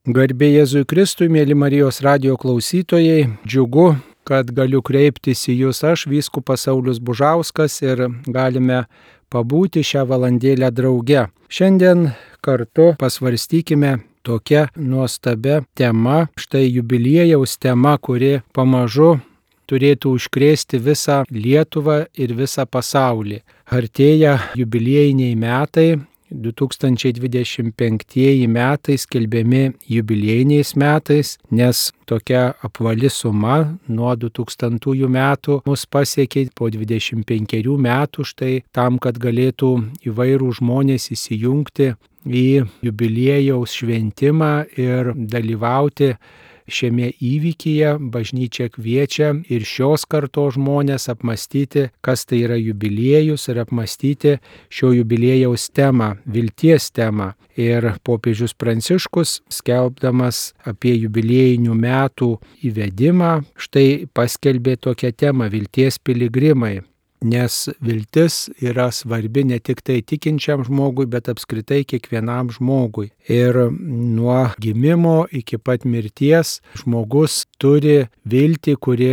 Garbė Jėzui Kristui, mėly Marijos radijo klausytojai, džiugu, kad galiu kreiptis į jūs aš, vyskupas Saulius Bužauskas, ir galime pabūti šią valandėlę drauge. Šiandien kartu pasvarstykime tokią nuostabią temą, štai jubiliejaus tema, kuri pamažu turėtų užkrėsti visą Lietuvą ir visą pasaulį. Artėja jubiliejiniai metai. 2025 metai skelbiami jubiliejiniais metais, nes tokia apvali suma nuo 2000 metų mus pasiekė po 25 metų štai tam, kad galėtų įvairų žmonės įsijungti į jubiliejaus šventimą ir dalyvauti šiame įvykyje. Bažnyčia kviečia ir šios kartos žmonės apmastyti, kas tai yra jubiliejus, ir apmastyti šio jubiliejaus temą, vilties temą. Ir popiežius Pranciškus, skelbdamas apie jubiliejinių metų įvedimą, štai paskelbė tokią temą: vilties piligrimai. Nes viltis yra svarbi ne tik tai tikinčiam žmogui, bet apskritai kiekvienam žmogui. Ir nuo gimimo iki pat mirties žmogus turi viltį, kuri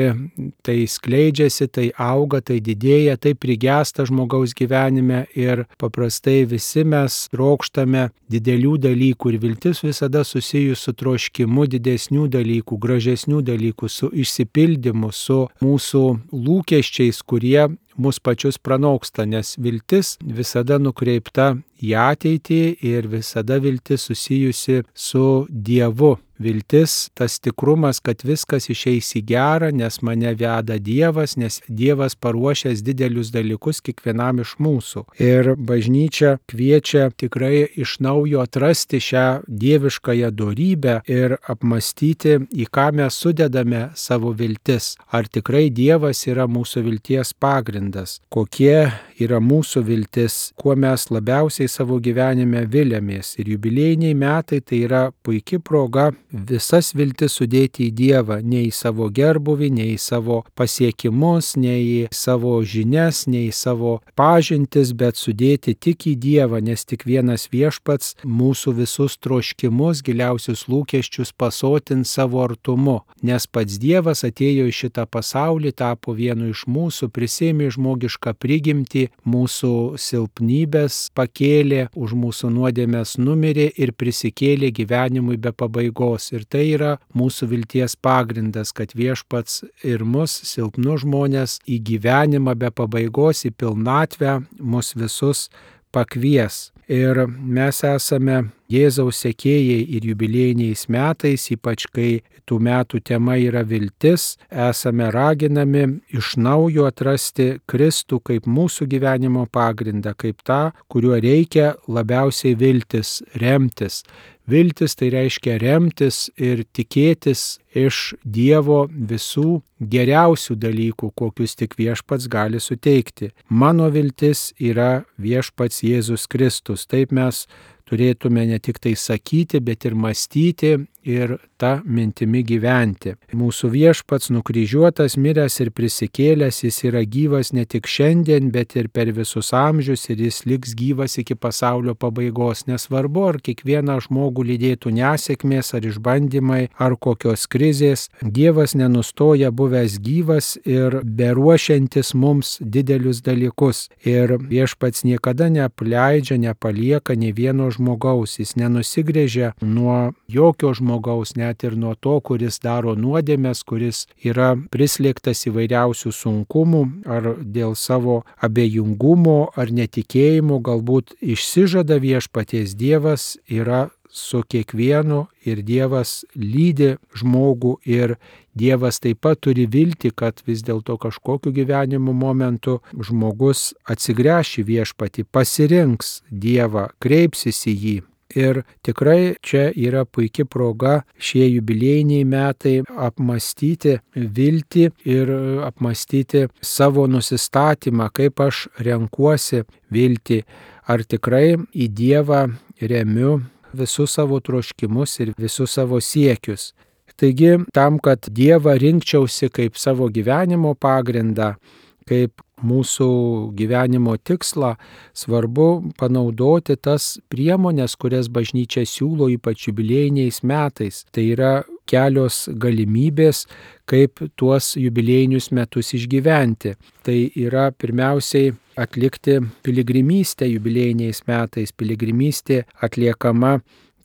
tai skleidžiasi, tai auga, tai didėja, tai prigęsta žmogaus gyvenime, ir paprastai visi mes trokštame didelių dalykų, ir viltis visada susijus su troškimu didesnių dalykų, gražesnių dalykų, su išsipildymu, su mūsų lūkesčiais, kurie mus pačius pranoksta, nes viltis visada nukreipta į ateitį ir visada viltis susijusi su Dievu. Viltis, tas tikrumas, kad viskas išeis į gerą, nes mane veda Dievas, nes Dievas paruošęs didelius dalykus kiekvienam iš mūsų. Ir bažnyčia kviečia tikrai iš naujo atrasti šią dieviškąją dorybę ir apmastyti, į ką mes sudedame savo viltis. Ar tikrai Dievas yra mūsų vilties pagrindas? Kokie yra mūsų viltis? Kuo mes labiausiai savo gyvenime viliamės? Ir jubiliejiniai metai tai yra puikia proga visas viltis sudėti į Dievą, ne į savo gerbuvį, ne į savo pasiekimus, ne į savo žinias, ne į savo pažintis, bet sudėti tik į Dievą, nes tik vienas Viešpats mūsų visus troškimus, giliausius lūkesčius pasotins savo artumu, nes pats Dievas atėjo į šitą pasaulį, tapo vienu iš mūsų, prisėmė žmogišką prigimtį, mūsų silpnybės pakėlė, už mūsų nuodėmes numirė ir prisikėlė gyvenimui be pabaigos. Ir tai yra mūsų vilties pagrindas, kad Viešpats ir mus, silpnus žmonės, į gyvenimą be pabaigos, į pilnatvę mus visus pakvies. Ir mes esame Jėzaus sekėjai ir jubiliejiniais metais, ypač kai tų metų tema yra viltis, esame raginami iš naujo atrasti Kristų kaip mūsų gyvenimo pagrindą, kaip tą, kuriuo reikia labiausiai viltis, remtis. Viltis tai reiškia remtis ir tikėtis iš Dievo visų geriausių dalykų, kokius tik Viešpats gali suteikti. Mano viltis yra Viešpats Jėzus Kristus. Taip mes turėtume ne tik tai sakyti, bet ir mąstyti ir tą mintimi gyventi. Mūsų Viešpats nukryžiuotas, miręs ir prisikėlęs, jis yra gyvas ne tik šiandien, bet ir per visus amžius, ir jis liks gyvas iki pasaulio pabaigos. Nesvarbu, ar kiekvieną žmogų lydėtų nesėkmės, ar išbandymai, ar kokios krizės, Dievas nenustoja buvęs gyvas ir beruošiantis mums didelius dalykus. Ir Viešpats niekada neapleidžia, nepalieka nei vieno žmogaus, jis nenusigręžia nuo jokio žmogaus, net ir nuo to, kuris daro nuodėmes, kuris yra prislėgtas įvairiausių sunkumų, ar dėl savo abejingumo ar netikėjimo galbūt išsižada Viešpaties. Dievas yra su kiekvienu ir Dievas lydi žmogų, ir Dievas taip pat turi viltį, kad vis dėlto kažkokiu gyvenimo momentu žmogus atsigręš į Viešpatį, pasirinks Dievą, kreipsis į jį. Ir tikrai čia yra puikia proga šie jubiliejiniai metai apmastyti viltį ir apmastyti savo nusistatymą, kaip aš renkuosi viltį, ar tikrai į Dievą remiu visus savo troškimus ir visus savo siekius. Taigi, tam, kad Dievą rinkčiausi kaip savo gyvenimo pagrindą, kaip mūsų gyvenimo tikslą, svarbu panaudoti tas priemonės, kurias bažnyčia siūlo ypač jubiliejiniais metais. Tai yra kelios galimybės, kaip tuos jubiliejinius metus išgyventi. Tai yra pirmiausiai atlikti piligrimystę jubiliejiniais metais. Piligrimystė atliekama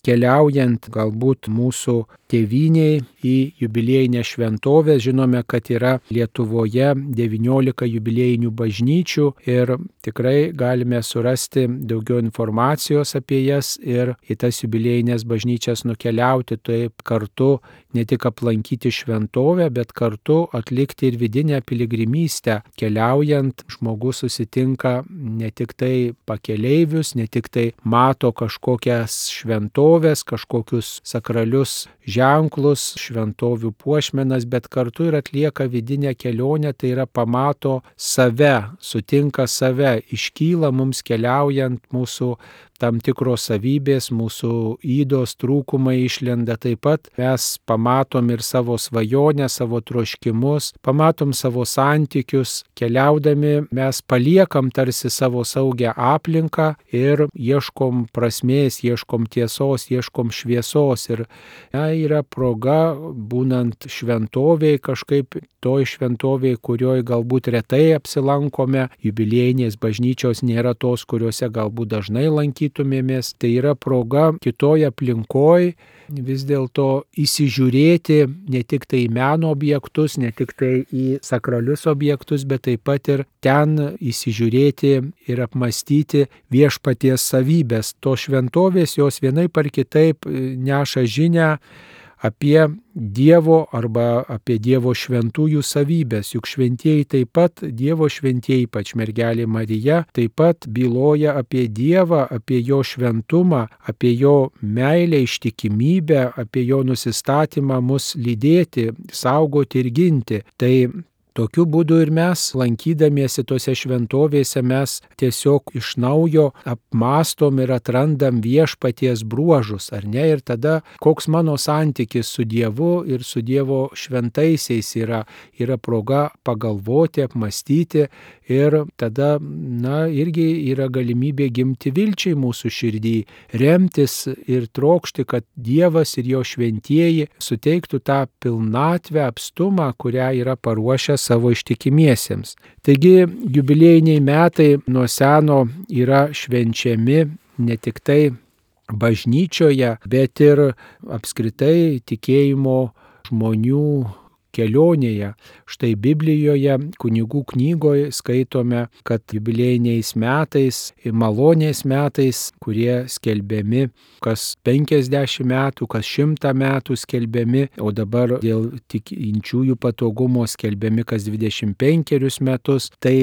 keliaujant galbūt mūsų tėvynėj į jubiliejinę šventovę. Žinome, kad yra Lietuvoje 19 jubiliejinių bažnyčių ir tikrai galime surasti daugiau informacijos apie jas ir į tas jubiliejinės bažnyčias nukeliauti, taip kartu ne tik aplankyti šventovę, bet kartu atlikti ir vidinę piligrimystę. Keliaujant žmogus susitinka ne tik tai pakeleivius, ne tik tai mato kažkokias šventovės, kažkokius sakralius ženklus, šventovių puošmenas, bet kartu ir atlieka vidinę kelionę, tai yra pamato save, sutinka save, iškyla mums keliaujant mūsų tam tikros savybės, mūsų ydos trūkumai išlenda. Taip pat mes pamatom ir savo svajonę, savo troškimus, pamatom savo santykius. Keliaudami mes paliekam tarsi savo saugią aplinką ir ieškom prasmės, ieškom tiesos, ieškom šviesos. Ir yra proga, būnant šventovėj, kažkaip toj šventovėj, kurioje galbūt retai apsilankome, jubiliejinės bažnyčios nėra tos, kuriuose galbūt dažnai lankytumėmės, tai yra proga kitoj aplinkoj vis dėlto įsižiūrėti ne tik tai į meno objektus, ne tik tai į sakralius objektus, bet taip pat ir ten įsižiūrėti ir apmastyti viešpaties savybės. To šventovės jos vienaip ar kitaip neša žinią apie Dievo arba apie Dievo šventųjų savybės. Juk šventieji taip pat, Dievo šventieji, ypač mergelė Marija, taip pat byloja apie Dievą, apie jo šventumą, apie jo meilę, ištikimybę, apie jo nusistatymą mus lydėti, saugoti ir ginti. Tai tokiu būdu ir mes, lankydamiesi tose šventovėse, mes tiesiog iš naujo apmastom ir atrandam viešpaties bruožus, ar ne? Ir tada koks mano santykis su Dievu ir su Dievo šventaisiais yra proga pagalvoti, apmastyti ir tada, irgi yra galimybė gimti vilčiai mūsų širdį, remtis ir trokšti, kad Dievas ir jo šventieji suteiktų tą pilnatvę, apstumą, kurią yra paruošęs savo ištikimiesiems. Taigi jubiliejiniai metai nuo seno yra švenčiami ne tik tai bažnyčioje, bet ir apskritai tikėjimo žmonių kelionėje. Štai Biblijoje, kunigų knygoje skaitome, kad jubiliejiniais metais, malonės metais, kurie skelbiami kas 50 metų, kas 100 metų skelbiami, o dabar dėl tikinčiųjų patogumo skelbiami kas 25 metus, tai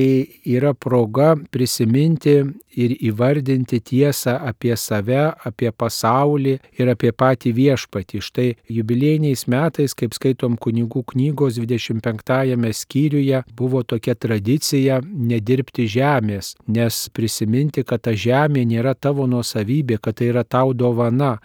yra proga prisiminti ir įvardinti tiesą apie save, apie pasaulį ir apie patį viešpatį. Štai jubiliejiniais metais, kaip skaitom kunigų knygos 25 skyriuje, buvo tokia tradicija nedirbti žemės, nes prisiminti, kad ta žemė nėra tavo nuosavybė, kad tai yra tau dovana,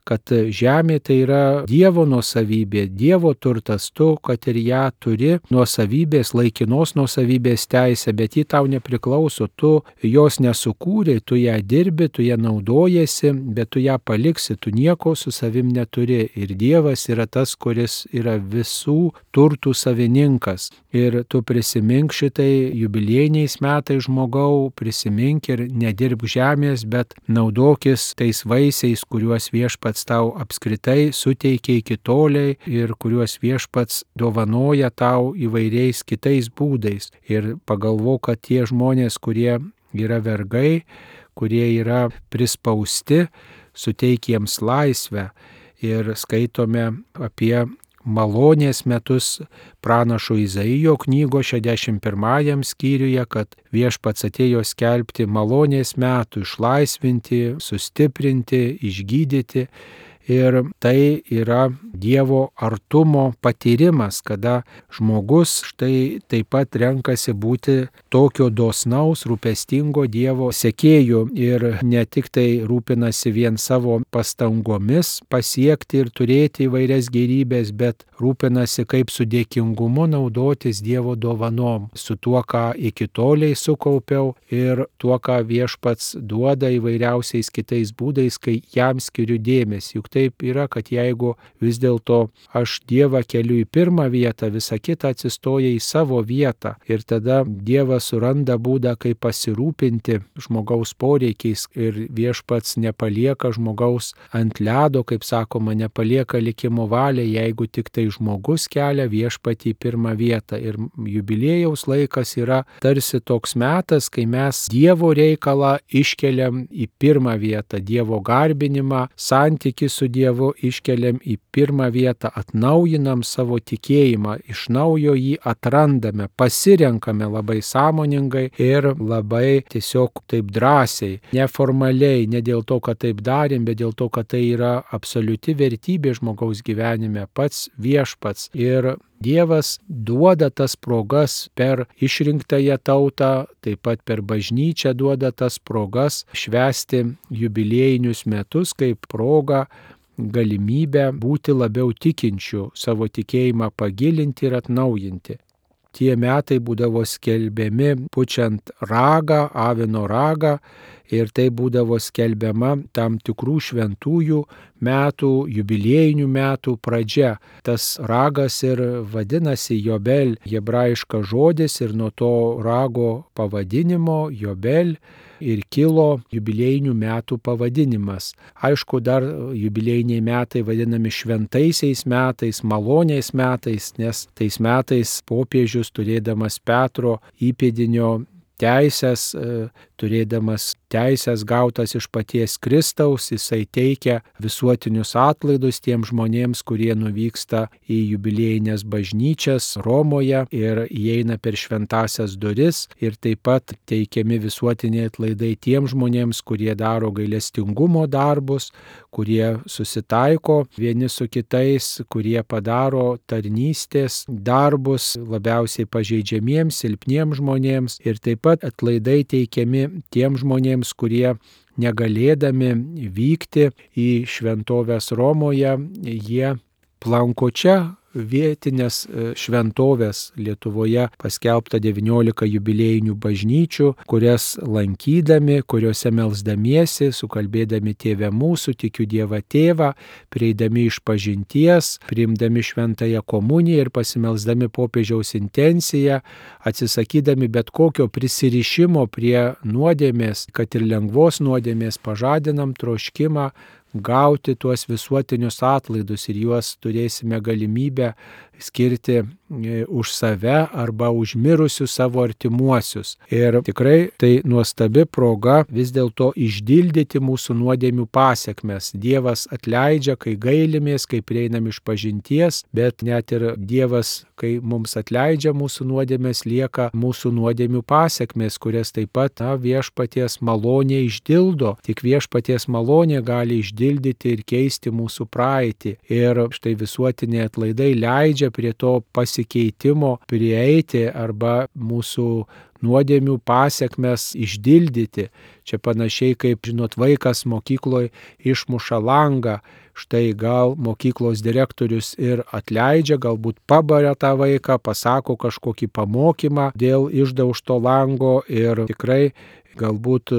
kad žemė tai yra Dievo nuosavybė, Dievo turtas, tu, kad ir ją turi nuosavybės, laikinos nuosavybės teisę, bet ji tau nepriklauso, tu jos nesukūrei, tu ją dirbi, tu ją naudojasi, bet tu ją paliksi, tu nieko su savim neturi. Ir Dievas yra tas, kuris yra visų turtų savininkas. Ir tu prisimink šitai jubiliejiniais metais, žmogau, prisimink ir nedirbk žemės, bet naudokis tais vaisiais, kuriuos viešpats tau apskritai suteikia iki toliai ir kuriuos viešpats dovanoja tau įvairiais kitais būdais. Ir pagalvok, kad tie žmonės, kurie yra vergai, kurie yra prispausti, suteik jiems laisvę. Ir skaitome apie malonės metus pranašo Izaijo knygo 61 skyriuje, kad viešpats atėjo skelbti malonės metų, išlaisvinti, sustiprinti, išgydyti. Ir tai yra Dievo artumo patyrimas, kada žmogus štai taip pat renkasi būti tokio dosnaus, rūpestingo Dievo sekėjų ir ne tik tai rūpinasi vien savo pastangomis pasiekti ir turėti įvairias gėrybės, bet rūpinasi kaip su dėkingumu naudotis Dievo dovanom, su tuo, ką iki toliai sukaupiau ir tuo, ką viešpats duoda įvairiausiais kitais būdais, kai jam skiriu dėmesį. Juk taip yra, kad jeigu vis dėlto aš Dievą keliu į pirmą vietą, visa kita atsistoja į savo vietą ir tada Dievas suranda būdą, kaip pasirūpinti žmogaus poreikiais ir viešpats nepalieka žmogaus ant ledo, kaip sakoma, nepalieka likimo valiai, jeigu tik tai žmogus kelia viešpatį į pirmą vietą. Ir jubiliejaus laikas yra tarsi toks metas, kai mes Dievo reikalą iškeliam į pirmą vietą, Dievo garbinimą, santykį su Dievu iškeliam į pirmą vietą, atnaujinam savo tikėjimą, iš naujo jį atrandame, pasirenkame labai sąmoningai ir labai tiesiog taip drąsiai, neformaliai, ne dėl to, kad taip darėm, bet dėl to, kad tai yra absoliuti vertybė žmogaus gyvenime, pats viešpats. Ir Dievas duoda tas progas per išrinktąją tautą, taip pat per bažnyčią duoda tas progas švęsti jubiliejinius metus kaip progą, galimybę būti labiau tikinčių, savo tikėjimą pagilinti ir atnaujinti. Tie metai būdavo skelbiami pučiant ragą, avino ragą, ir tai būdavo skelbiama tam tikrų šventųjų metų, jubiliejinių metų pradžia. Tas ragas ir vadinasi Jobel, hebrajiškas žodis, ir nuo to rago pavadinimo Jobel ir kilo jubiliejinių metų pavadinimas. Aišku, dar jubiliejiniai metai vadinami šventaisiais metais, maloniais metais, nes tais metais popiežius, turėdamas Petro įpėdinio teisės, turėdamas teisės gautas iš paties Kristaus, jisai teikia visuotinius atlaidus tiem žmonėms, kurie nuvyksta į jubiliejinės bažnyčias Romoje ir įeina per šventasias duris, ir taip pat teikiami visuotiniai atlaidai tiem žmonėms, kurie daro gailestingumo darbus, kurie susitaiko vieni su kitais, kurie padaro tarnystės darbus labiausiai pažeidžiamiems, silpniems žmonėms, ir taip pat atlaidai teikiami tiem žmonėms, kurie negalėdami vykti į šventoves Romoje, jie planko čia vietinės šventovės. Lietuvoje paskelbta 19 jubiliejinių bažnyčių, kurias lankydami, kuriuose melsdamiesi, sukalbėdami Tėve mūsų, tikiu Dievą Tėvą, prieidami išpažinties, priimdami šventąją komuniją ir pasimelsdami popiežiaus intenciją, atsisakydami bet kokio prisirišimo prie nuodėmės, kad ir lengvos nuodėmės, pažadinam troškimą gauti tuos visuotinius atlaidus, ir juos turėsime galimybę skirti už save arba už mirusius savo artimuosius. Ir tikrai tai nuostabi proga vis dėlto išdildyti mūsų nuodėmių pasekmes. Dievas atleidžia, kai gailimės, kai prieinam išpažinties, bet net ir Dievas, kai mums atleidžia mūsų nuodėmės, lieka mūsų nuodėmių pasekmes, kurias taip pat viešpaties malonė išdildo. Tik viešpaties malonė gali išdildyti ir keisti mūsų praeitį. Ir štai visuotiniai atlaidai leidžia prie to pasikeitimo prieiti arba mūsų nuodėmių pasekmes išdildyti. Čia panašiai kaip, žinot, vaikas mokykloje išmuša langą. Štai gal mokyklos direktorius ir atleidžia, galbūt pabaria tą vaiką, pasako kažkokį pamokymą dėl išdaužto lango ir tikrai galbūt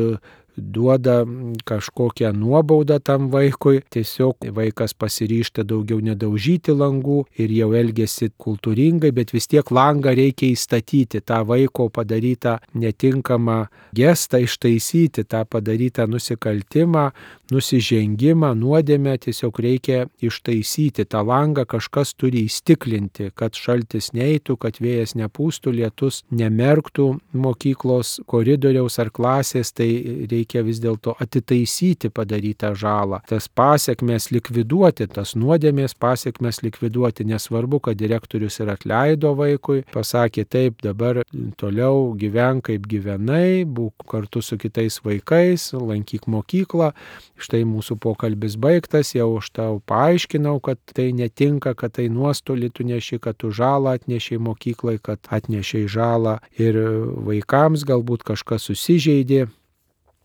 duoda kažkokią nuobaudą tam vaikui, tiesiog vaikas pasiryžta daugiau nedaužyti langų ir jau elgesi kultūringai, bet vis tiek langą reikia įstatyti, tą vaiko padarytą netinkamą gestą ištaisyti, tą padarytą nusikaltimą, nusižengimą, nuodėmę tiesiog reikia ištaisyti. Tą langą kažkas turi įstiklinti, kad šaltis neitų, kad vėjas nepūstų, lietus nemerktų mokyklos koridoriaus ar klasės, tai reikia reikia vis dėlto atitaisyti padarytą žalą, tas pasekmes likviduoti, tas nuodėmės pasekmes likviduoti. Nesvarbu, kad direktorius ir atleido vaikui, pasakė taip, dabar toliau gyvenk kaip gyvenai, būk kartu su kitais vaikais, lankyk mokyklą. Štai mūsų pokalbis baigtas, jau aš tau paaiškinau, kad tai netinka, kad tai nuostolį tu neši, kad tu žalą atnešiai mokyklai, kad atnešiai žalą ir vaikams, galbūt kažkas susižeidė,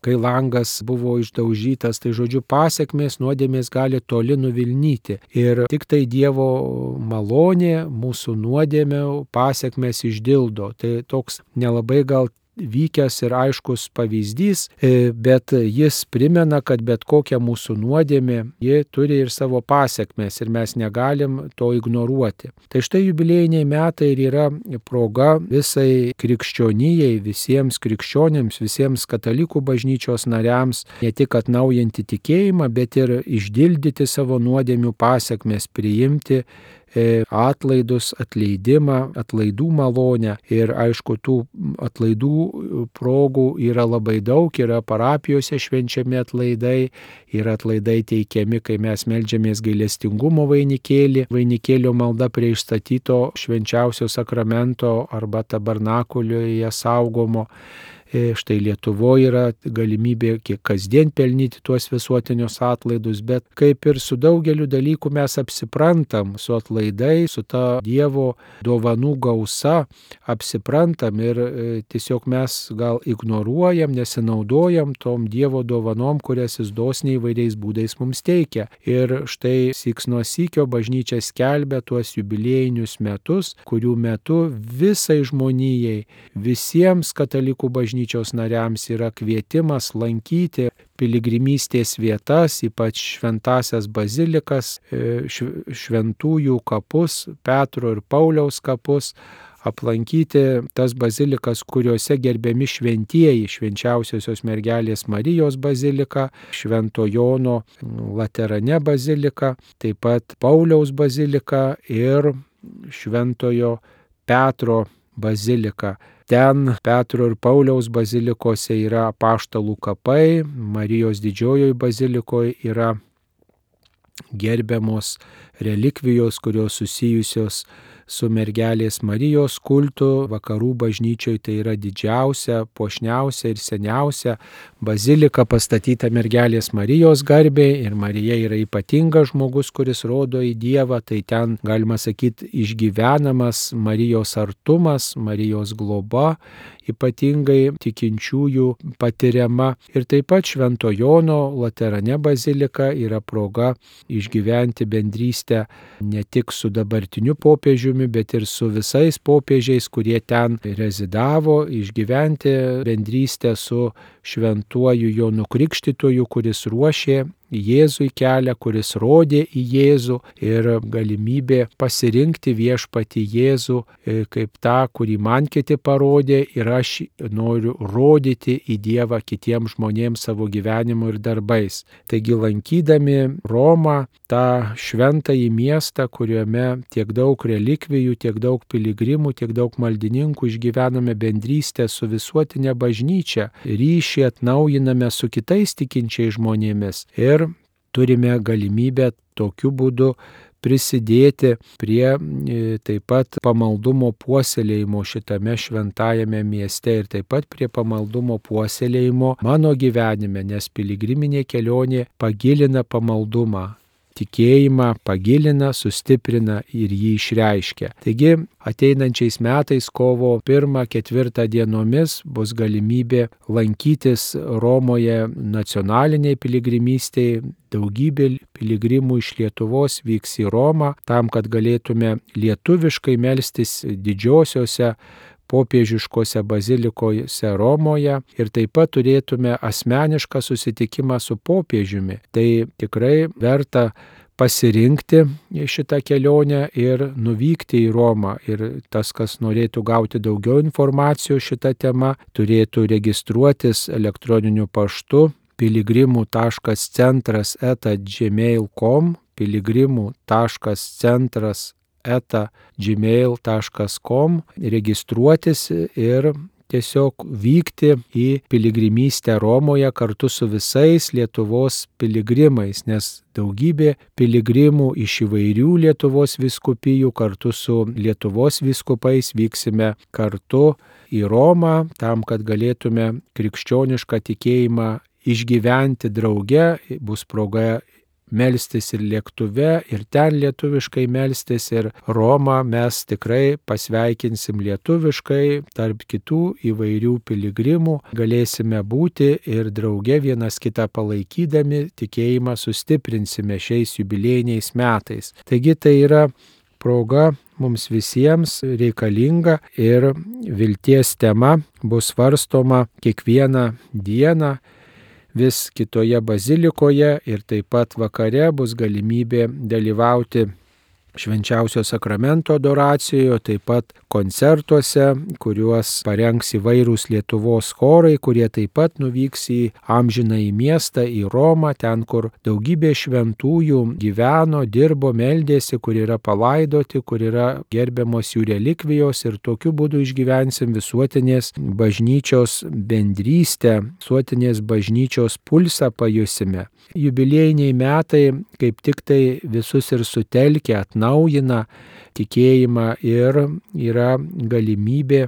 kai langas buvo išdaužytas, tai žodžiu pasekmės nuodėmės gali toli nuvilnyti. Ir tik tai Dievo malonė mūsų nuodėmių pasekmės išdildo. Tai toks nelabai gal vykęs ir aiškus pavyzdys, bet jis primena, kad bet kokia mūsų nuodėmė, ji turi ir savo pasekmes ir mes negalim to ignoruoti. Tai štai jubiliejiniai metai ir yra proga visai krikščionijai, visiems krikščionėms, visiems katalikų bažnyčios nariams ne tik atnaujinti tikėjimą, bet ir išdildyti savo nuodėmių pasekmes, priimti atlaidus, atleidimą, atlaidų malonę. Ir aišku, tų atlaidų progų yra labai daug, yra parapijose švenčiami atlaidai, yra atlaidai teikiami, kai mes meldžiamės gailestingumo vainikėlį, vainikėlio malda prie išstatyto švenčiausio sakramento arba tabernakulioje saugomo. Štai Lietuvoje yra galimybė kiek kasdien pelnyti tuos visuotinius atlaidus, bet kaip ir su daugeliu dalykų mes apsiprantam, su atlaidai, su ta Dievo dovanų gausa apsiprantam ir tiesiog mes gal ignoruojam, nesinaudojam tom Dievo dovanom, kurias jis dosniai įvairiais būdais mums teikia. Ir štai syks nuo sykio bažnyčia skelbia tuos jubiliejinius metus, kurių metu visai žmonijai, visiems katalikų bažnyčios nariams yra kvietimas lankyti piligrimystės vietas, ypač šventasias bazilikas, šventųjų kapus, Petro ir Pauliaus kapus, aplankyti tas bazilikas, kuriuose gerbiami šventieji, švenčiausiosios mergelės Marijos bazilika, Švento Jono Laterane bazilika, taip pat Pauliaus bazilika ir Šventojo Petro bazilika. Ten Petro ir Pauliaus bazilikose yra apaštalų kapai, Marijos didžiojoje bazilikoje yra gerbiamos relikvijos, kurios susijusios su mergelės Marijos kultu. Vakarų bažnyčioje tai yra didžiausia, puošniausia ir seniausia bazilika pastatyta mergelės Marijos garbei ir Marija yra ypatingas žmogus, kuris rodo į Dievą, tai ten galima sakyti išgyvenamas Marijos artumas, Marijos globa, ypatingai tikinčiųjų patiriama. Ir taip pat Švento Jono Laterane bazilika yra proga išgyventi bendrystę ne tik su dabartiniu popiežiumi, bet ir su visais popiežiais, kurie ten rezidavo, išgyventi bendrystę su šventuoju Jonu Krikštytoju, kuris ruošė Jėzui kelią, kuris rodė į Jėzų ir galimybė pasirinkti viešpatį Jėzų kaip tą, kurį man kiti parodė ir aš noriu rodyti į Dievą kitiems žmonėms savo gyvenimu ir darbais. Taigi lankydami Romą, tą šventąjį miestą, kuriame tiek daug relikvijų, tiek daug piligrimų, tiek daug maldininkų, išgyvename bendrystę su visuotinė bažnyčia, ryšį atnaujiname su kitais tikinčiais žmonėmis ir turime galimybę tokiu būdu prisidėti prie taip pat pamaldumo puoselėjimo šitame šventajame mieste ir taip pat prie pamaldumo puoselėjimo mano gyvenime, nes piligriminė kelionė pagilina pamaldumą. Tikėjimą pagilina, sustiprina ir jį išreiškia. Taigi ateinančiais metais kovo 1-4 dienomis bus galimybė lankytis Romoje nacionaliniai piligrimystėje. Daugybė piligrimų iš Lietuvos vyks į Romą tam, kad galėtume lietuviškai melstis didžiosiose popiežiškose bazilikose Romoje ir taip pat turėtume asmenišką susitikimą su popiežiumi. Tai tikrai verta pasirinkti šitą kelionę ir nuvykti į Romą. Ir tas, kas norėtų gauti daugiau informacijos šitą temą, turėtų registruotis elektroniniu paštu piligrimų.centras@gmail.com piligrimų.centras@gmail.com registruotis ir tiesiog vykti į piligrimystę Romoje kartu su visais Lietuvos piligrimais, nes daugybė piligrimų iš įvairių Lietuvos vyskupijų kartu su Lietuvos vyskupais vyksime kartu į Romą, tam, kad galėtume krikščionišką tikėjimą išgyventi drauge, bus proga melstis ir lėktuve, ir ten lietuviškai melstis, ir Romą mes tikrai pasveikinsim lietuviškai, tarp kitų įvairių piligrimų galėsime būti ir drauge vienas kitą palaikydami tikėjimą sustiprinsime šiais jubiliejiniais metais. Taigi tai yra proga mums visiems reikalinga ir vilties tema bus svarstoma kiekvieną dieną vis kitoje bazilikoje ir taip pat vakare bus galimybė dalyvauti švenčiausio sakramento adoracijoje, taip pat koncertuose, kuriuos parengs įvairūs Lietuvos chorai, kurie taip pat nuvyks į amžinąjį miestą, į Romą, ten, kur daugybė šventųjų gyveno, dirbo, meldėsi, kur yra palaidoti, kur yra gerbiamos jų relikvijos ir tokiu būdu išgyvensim visuotinės bažnyčios bendrystę, visuotinės bažnyčios pulsą pajusime. Jubiliejiniai metai kaip tik tai visus ir sutelkia, atnaujina tikėjimą ir yra galimybė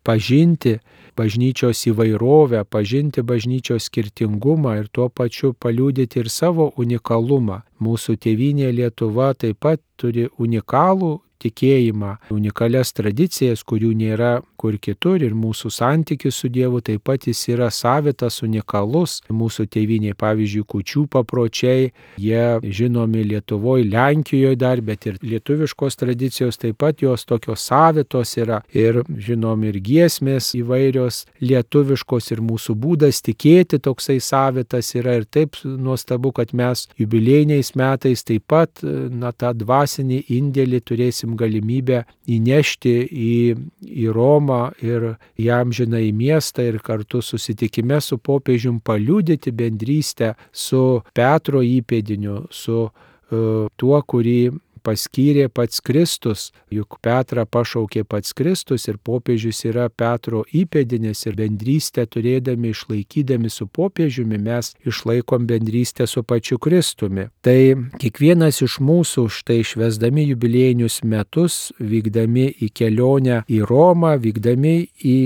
pažinti bažnyčios įvairovę, pažinti bažnyčios skirtingumą ir tuo pačiu paliudyti ir savo unikalumą. Mūsų tėvynė Lietuva taip pat turi unikalų tikėjimą, unikalias tradicijas, kurių nėra kur kitur ir mūsų santykis su Dievu taip pat jis yra savitas, unikalus. Mūsų tėvynė, pavyzdžiui, kūčių papročiai, jie žinomi Lietuvoje, Lenkijoje dar, bet ir lietuviškos tradicijos taip pat jos tokios savitos yra ir žinomi ir giesmės įvairios lietuviškos ir mūsų būdas tikėti toksai savitas yra ir taip nuostabu, kad mes jubiliejiniais metais taip pat tą dvasinį indėlį turėsim galimybę įnešti į Romą ir į amžinąjį miestą ir kartu susitikime su popiežium paliudyti bendrystę su Petro įpėdiniu, su tuo, kurį paskyrė pats Kristus, juk Petrą pašaukė pats Kristus ir popiežius yra Petro įpėdinis ir bendrystę turėdami, išlaikydami su popiežiumi, mes išlaikom bendrystę su pačiu Kristumi. Tai kiekvienas iš mūsų štai švęsdami jubiliejinius metus, vykdami į kelionę į Romą, vykdami į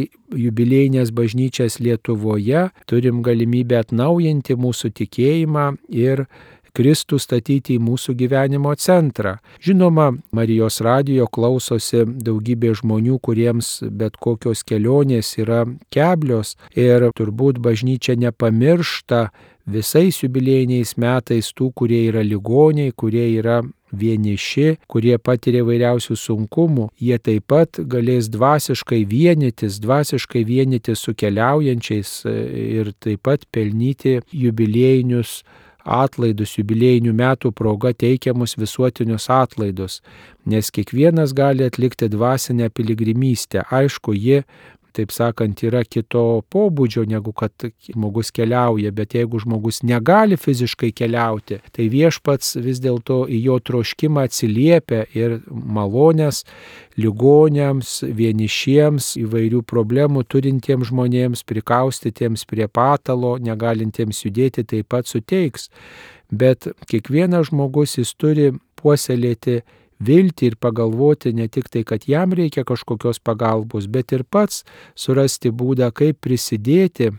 jubiliejinės bažnyčias Lietuvoje, turim galimybę atnaujinti mūsų tikėjimą ir Kristų statyti į mūsų gyvenimo centrą. Žinoma, Marijos radijo klausosi daugybė žmonių, kuriems bet kokios kelionės yra keblios ir turbūt bažnyčia nepamiršta visais jubiliejiniais metais tų, kurie yra ligoniai, kurie yra vieniši, kurie patiria vairiausių sunkumų. Jie taip pat galės dvasiškai vienytis su keliaujančiais ir taip pat pelnyti jubiliejinius atlaidus, jubiliejinių metų proga teikiamus visuotinius atlaidus, nes kiekvienas gali atlikti dvasinę piligrimystę. Aišku, ji, taip sakant, yra kito pobūdžio, negu kad žmogus keliauja, bet jeigu žmogus negali fiziškai keliauti, tai viešpats vis dėlto į jo troškimą atsiliepia ir malonės ligoniams, vienišiems, įvairių problemų turintiems žmonėms, prikaustytiems prie patalo, negalintiems judėti, taip pat suteiks. Bet kiekvienas žmogus jis turi puoselėti viltį ir pagalvoti ne tik tai, kad jam reikia kažkokios pagalbos, bet ir pats surasti būdą, kaip prisidėti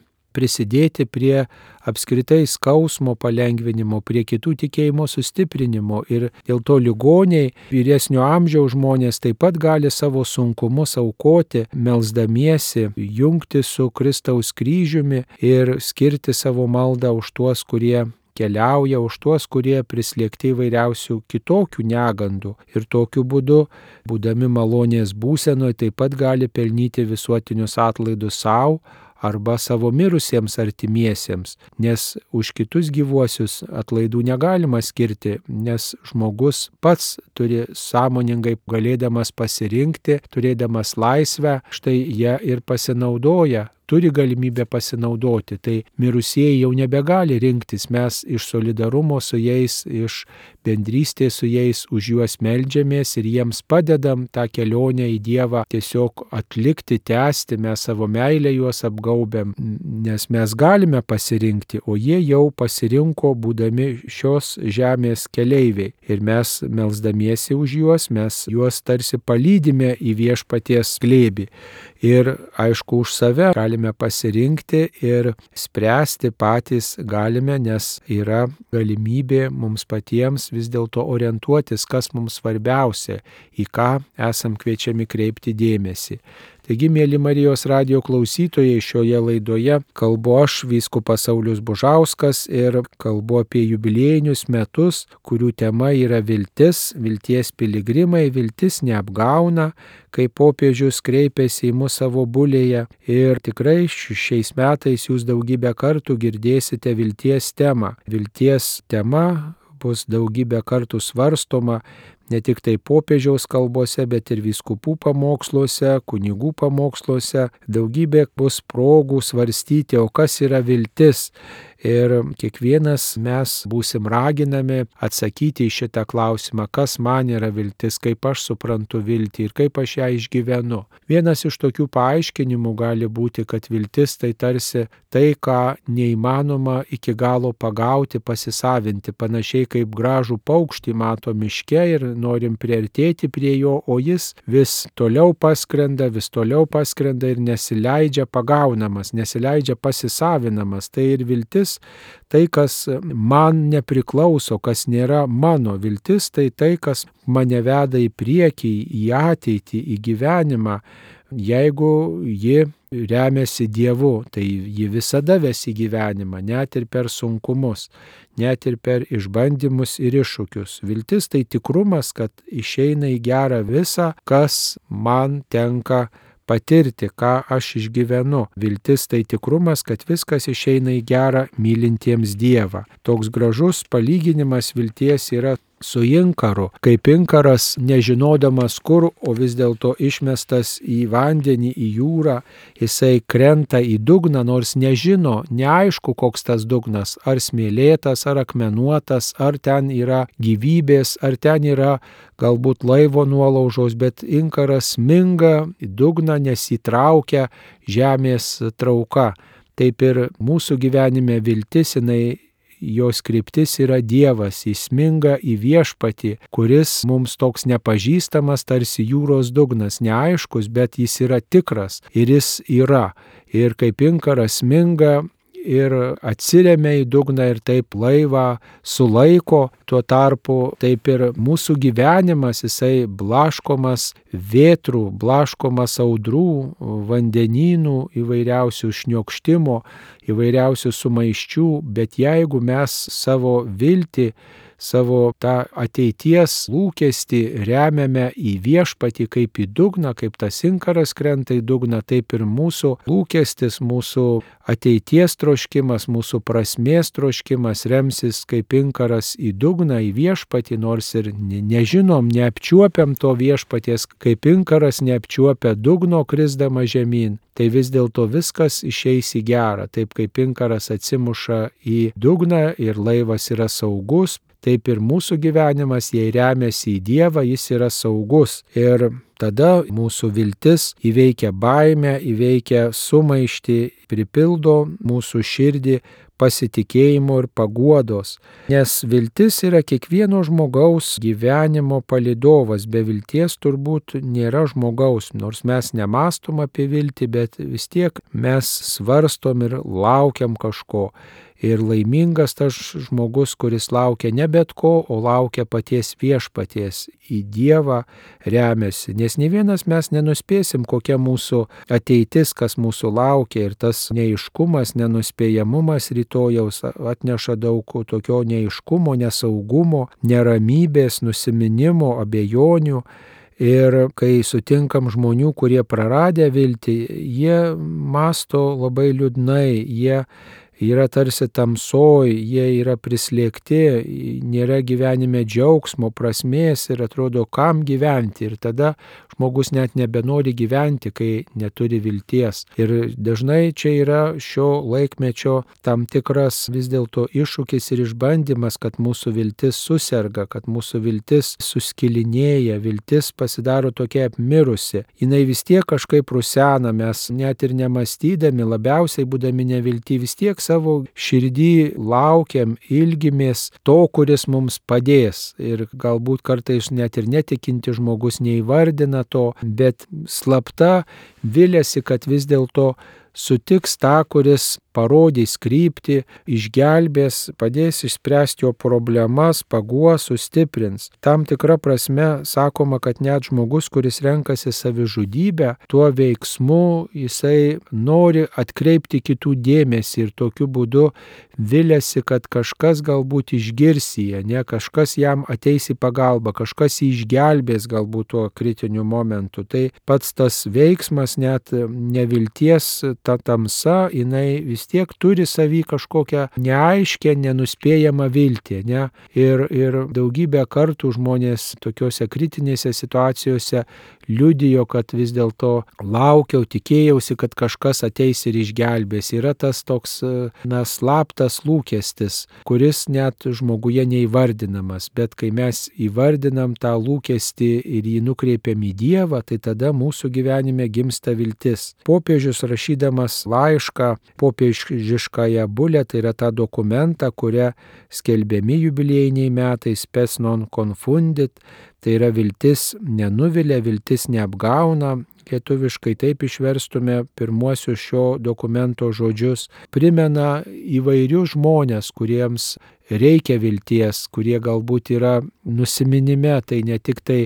prie apskritai skausmo palengvinimo, prie kitų tikėjimo sustiprinimo. Ir dėl to ligoniai, vyresnio amžiaus žmonės taip pat gali savo sunkumus aukoti, melsdamiesi, jungti su Kristaus kryžiumi ir skirti savo maldą už tuos, kurie keliauja, už tuos, kurie prislėgti įvairiausių kitokių negandų. Ir tokiu būdu, būdami malonės būsenoje, taip pat gali pelnyti visuotinius atlaidus savo arba savo mirusiems artimiesiems, nes už kitus gyvuosius atlaidų negalima skirti, nes žmogus pats turi sąmoningai galėdamas pasirinkti, turėdamas laisvę, štai jie ir pasinaudoja turi galimybę pasinaudoti. Tai mirusieji jau nebegali rinktis, mes iš solidarumo su jais, iš bendrystės su jais už juos meldžiamės ir jiems padedam tą kelionę į Dievą tiesiog atlikti, tęsti, mes savo meilę juos apgaubėm, nes mes galime pasirinkti, o jie jau pasirinko būdami šios žemės keleiviai. Ir mes melsdamiesi už juos, mes juos tarsi palydime į viešpaties glėbį. Ir aišku, už save galime pasirinkti ir spręsti patys galime, nes yra galimybė mums patiems vis dėlto orientuotis, kas mums svarbiausia, į ką esam kviečiami kreipti dėmesį. Taigi, mėly Marijos radijo klausytojai, šioje laidoje kalbu aš, vyskupas Saulius Bužauskas, ir kalbu apie jubiliejinius metus, kurių tema yra viltis, vilties piligrimai, viltis neapgauna, kai popiežius kreipėsi į mus savo bulėje. Ir tikrai šiais metais jūs daugybę kartų girdėsite vilties temą. Vilties tema bus daugybę kartų svarstoma ne tik tai popiežiaus kalbose, bet ir vyskupų pamoksluose, kunigų pamoksluose. Daugybė bus progų svarstyti, o kas yra viltis. Ir kiekvienas mes būsim raginami atsakyti į šitą klausimą, kas man yra viltis, kaip aš suprantu viltį ir kaip aš ją išgyvenu. Vienas iš tokių paaiškinimų gali būti, kad viltis tai tarsi tai, ką neįmanoma iki galo pagauti, pasisavinti, panašiai kaip gražų paukštį mato miške ir norim priartėti prie jo, o jis vis toliau paskrenda ir nesileidžia pagaunamas, nesileidžia pasisavinamas. Tai ir viltis, tai, kas man nepriklauso, kas nėra mano. Viltis tai tai, kas mane veda į priekį, į ateitį, į gyvenimą. Jeigu ji remiasi Dievu, tai ji visada ves į gyvenimą, net ir per sunkumus, net ir per išbandymus ir iššūkius. Viltis tai tikrumas, kad išeina į gerą visa, kas man tenka patirti, ką aš išgyvenu. Viltis tai tikrumas, kad viskas išeina į gerą mylintiems Dievą. Toks gražus palyginimas vilties yra su inkaru, kaip inkaras nežinodamas kur, o vis dėlto išmestas į vandenį, į jūrą, jisai krenta į dugną, nors nežino, neaišku koks tas dugnas, ar smėlėtas, ar akmenuotas, ar ten yra gyvybės, ar ten yra galbūt laivo nuolaužos, bet inkaras sminga į dugną, nes įtraukia žemės trauka. Taip ir mūsų gyvenime viltis, jos kryptis yra Dievas, įsminga į viešpatį, kuris mums toks nepažįstamas, tarsi jūros dugnas, neaiškus, bet jis yra tikras ir jis yra. Ir kaip inkaras sminga ir atsiremia į dugną ir taip laivą sulaiko, tuo tarpu taip ir mūsų gyvenimas, jisai blaškomas vėtrų, blaškomas audrų, vandenynų, įvairiausių šniokštimo, įvairiausių sumaiščių, bet jeigu mes savo viltį, savo tą ateities lūkestį remiame į viešpatį kaip į dugną, kaip tas inkaras krenta į dugną, taip ir mūsų lūkestis, mūsų ateities troškimas, mūsų prasmės troškimas remsis kaip inkaras į dugną, į viešpatį, nors ir nežinom, neapčiuopiam to viešpaties, kaip inkaras neapčiuopia dugno krisdama žemyn. Tai vis dėlto viskas išeis į gerą, taip kaip inkaras atsimuša į dugną ir laivas yra saugus, taip ir mūsų gyvenimas, jei remiasi į Dievą, jis yra saugus. Ir tada mūsų viltis įveikia baimę, įveikia sumaištį, pripildo mūsų širdį pasitikėjimo ir paguodos. Nes viltis yra kiekvieno žmogaus gyvenimo palydovas. Be vilties turbūt nėra žmogaus. Nors mes nemastom apie viltį, bet vis tiek mes svarstom ir laukiam kažko. Ir laimingas tas žmogus, kuris laukia ne bet ko, o laukia paties viešpaties, į Dievą remiasi. Nes ne vienas mes nenuspėsim, kokia mūsų ateitis, kas mūsų laukia. Ir tas neaiškumas, nenuspėjamumas rytojaus atneša daug tokio neaiškumo, nesaugumo, neramybės, nusiminimo, abejonių. Ir kai sutinkam žmonių, kurie praradę viltį, jie masto labai liūdnai, jie yra tarsi tamsoj, jie yra prislėgti, nėra gyvenime džiaugsmo, prasmės ir atrodo, kam gyventi. Ir tada žmogus net nebenori gyventi, kai neturi vilties. Ir dažnai čia yra šio laikmečio tam tikras vis dėlto iššūkis ir išbandymas, kad mūsų viltis suserga, kad mūsų viltis suskilinėja, viltis pasidaro tokia apmirusi. Jinai vis tiek kažkaip rusena, mes net ir nemastydami, labiausiai būdami nevilti, vis tiek savo širdį laukiam, ilgimės to, kuris mums padės. Ir galbūt kartais net ir netikinti žmogus neįvardina to, bet slapta viliasi, kad vis dėlto sutiks tą, kuris parodys kryptį, išgelbės, padės išspręsti jo problemas, paguos, sustiprins. Tam tikra prasme sakoma, kad net žmogus, kuris renkasi savižudybę, tuo veiksmu jisai nori atkreipti kitų dėmesį ir tokiu būdu viliasi, kad kažkas galbūt išgirs jį, ne kažkas jam ateis į pagalbą, kažkas jį išgelbės galbūt tuo kritiniu momentu. Tai pats tas veiksmas, net nevilties, ta tamsa, jinai vis tiek turi savy kažkokią neaiškę, nenuspėjamą viltį. Ne? Ir daugybę kartų žmonės tokiuose kritinėse situacijose liudijo, kad vis dėlto laukiau, tikėjausi, kad kažkas ateis ir išgelbės. Yra tas toks slaptas lūkestis, kuris net žmoguje neįvardinamas, bet kai mes įvardinam tą lūkestį ir jį nukreipiam į Dievą, tai tada mūsų gyvenime gimsta viltis. Popiežius rašydamas laišką popiežiškąją bulę, tai yra tą dokumentą, kurią skelbiami jubiliejiniai metai, spes non confundit, tai yra viltis nenuvilia, viltis neapgauna. Lietuviškai taip išverstume pirmuosius šio dokumento žodžius. Primena įvairius žmonės, kuriems reikia vilties, kurie galbūt yra nusiminime, tai ne tik tai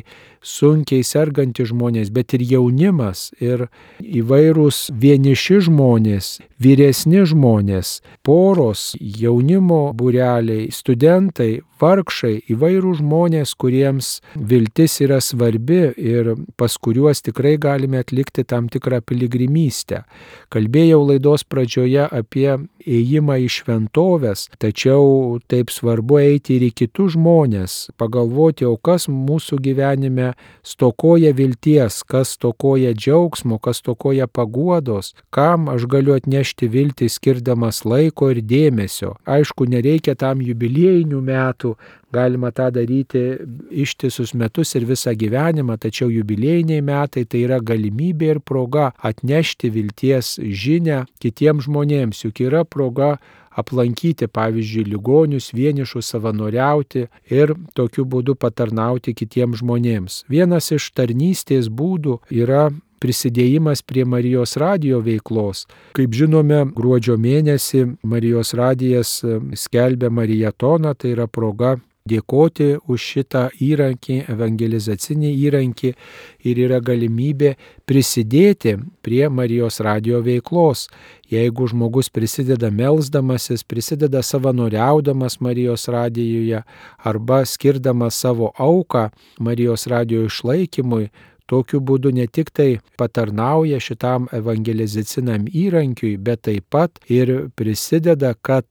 sunkiai sergantys žmonės, bet ir jaunimas, ir įvairūs vieniši žmonės, vyresni žmonės, poros, jaunimo būreliai, studentai, vargšai, įvairūs žmonės, kuriems viltis yra svarbi ir pas kuriuos tikrai galime atlikti tam tikrą piligrimystę. Kalbėjau laidos pradžioje apie ėjimą į šventoves, tačiau taip svarbu eiti ir į kitus žmonės, pagalvoti, o kas mūsų gyvenime stokoja vilties, kas stokoja džiaugsmo, kas stokoja paguodos, kam aš galiu atnešti viltį skirdamas laiko ir dėmesio. Aišku, nereikia tam jubiliejinių metų, galima tą daryti ištisus metus ir visą gyvenimą, tačiau jubiliejiniai metai tai yra galimybė ir proga atnešti vilties žinią kitiems žmonėms, juk yra proga aplankyti, pavyzdžiui, ligonius, vienišus, savanoriauti ir tokiu būdu patarnauti kitiems žmonėms. Vienas iš tarnystės būdų yra prisidėjimas prie Marijos radijo veiklos. Kaip žinome, gruodžio mėnesį Marijos radijas skelbia Marijatoną, tai yra proga dėkoti už šitą įrankį, evangelizacinį įrankį ir yra galimybė prisidėti prie Marijos radijo veiklos. Jeigu žmogus prisideda melsdamasis, prisideda savanoriaudamas Marijos radijuje arba skirdamas savo auką Marijos radijo išlaikymui, tokiu būdu ne tik tai patarnauja šitam evangelizaciniam įrankiui, bet taip pat ir prisideda, kad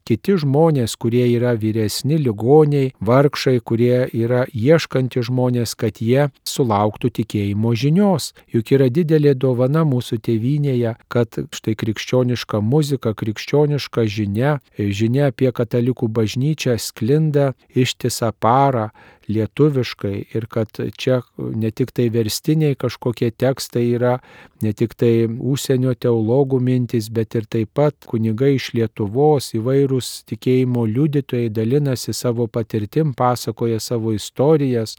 kiti žmonės, kurie yra vyresni, ligoniai, vargšai, kurie yra ieškantys žmonės, kad jie sulauktų tikėjimo žinios. Juk yra didelė dovana mūsų tėvynėje, kad štai krikščioniška muzika, krikščioniška žinia apie katalikų bažnyčią sklinda ištisą parą lietuviškai ir kad čia ne tik tai verstiniai kažkokie tekstai yra, ne tik tai užsienio teologų mintys, bet ir taip pat kunigai iš Lietuvos, įvairūs tikėjimo liudytojai dalinasi savo patirtim, pasakoja savo istorijas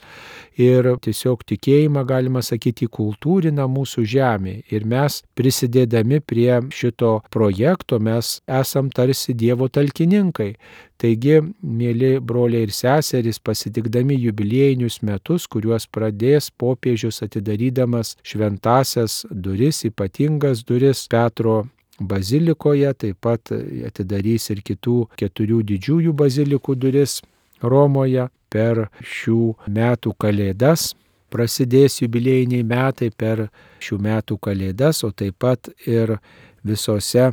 ir tiesiog tikėjimą, galima sakyti, kultūrina mūsų žemė. Ir mes prisidėdami prie šito projekto, mes esam tarsi Dievo talkininkai. Taigi, mėly broliai ir seserys, pasitikdami jubiliejinius metus, kuriuos pradės popiežius atidarydamas šventasias duris, ypatingas duris Petro bazilikoje, taip pat atidarys ir kitų 4 didžiųjų bazilikų duris Romoje per šių metų kalėdas. Prasidės jubiliejiniai metai per šių metų kalėdas, o taip pat ir visose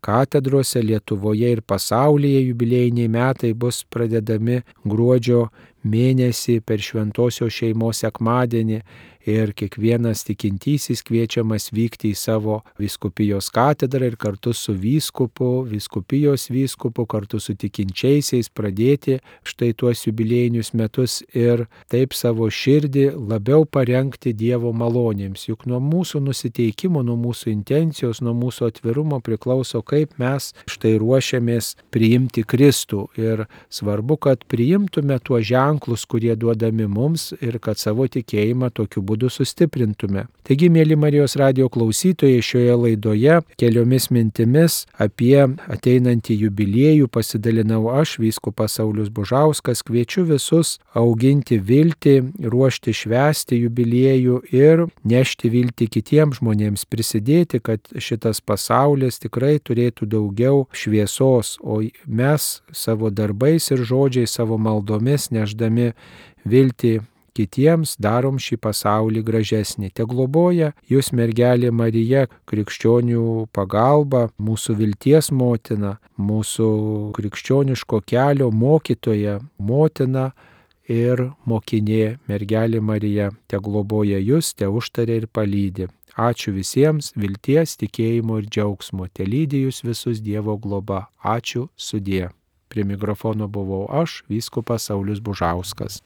katedrose Lietuvoje ir pasaulyje jubiliejiniai metai bus pradedami gruodžio mėnesį per šventosios šeimos sekmadienį ir kiekvienas tikintysis kviečiamas vykti į savo vyskupijos katedrą ir kartu su vyskupijos vyskupu, kartu su tikinčiaisiais pradėti štai tuos jubiliejinius metus ir taip savo širdį labiau parengti Dievo malonėms. Juk nuo mūsų nusiteikimo, nuo mūsų intencijos, nuo mūsų atvirumo priklauso, kaip mes štai ruošiamės priimti Kristų. Ir svarbu, kad priimtume tuos ženklus, kurie duodami mums ir kad savo tikėjimą tokiu būdu sustiprintume. Taigi, mėly Marijos radijo klausytojai, šioje laidoje keliomis mintimis apie ateinantį jubiliejų pasidalinau aš, vyskupas Saulius Bužauskas. Kviečiu visus auginti viltį, ruošti švęsti jubiliejų ir nešti viltį kitiems žmonėms, prisidėti, kad šitas pasaulis tikrai turėtų daugiau šviesos, o mes savo darbais ir žodžiais, savo maldomis nešdami viltį kitiems darom šį pasaulį gražesnį. Te globoja jūs mergelė Marija, krikščionių pagalba, mūsų vilties motina, mūsų krikščioniško kelio mokytoja, motina ir mokinė mergelė Marija. Te globoja jūs, te užtaria ir palydi. Ačiū visiems, vilties, tikėjimo ir džiaugsmo. Te lydi jūs visus Dievo globa. Ačiū, sudie. Prie mikrofono buvau aš, vyskupas Saulius Bužauskas.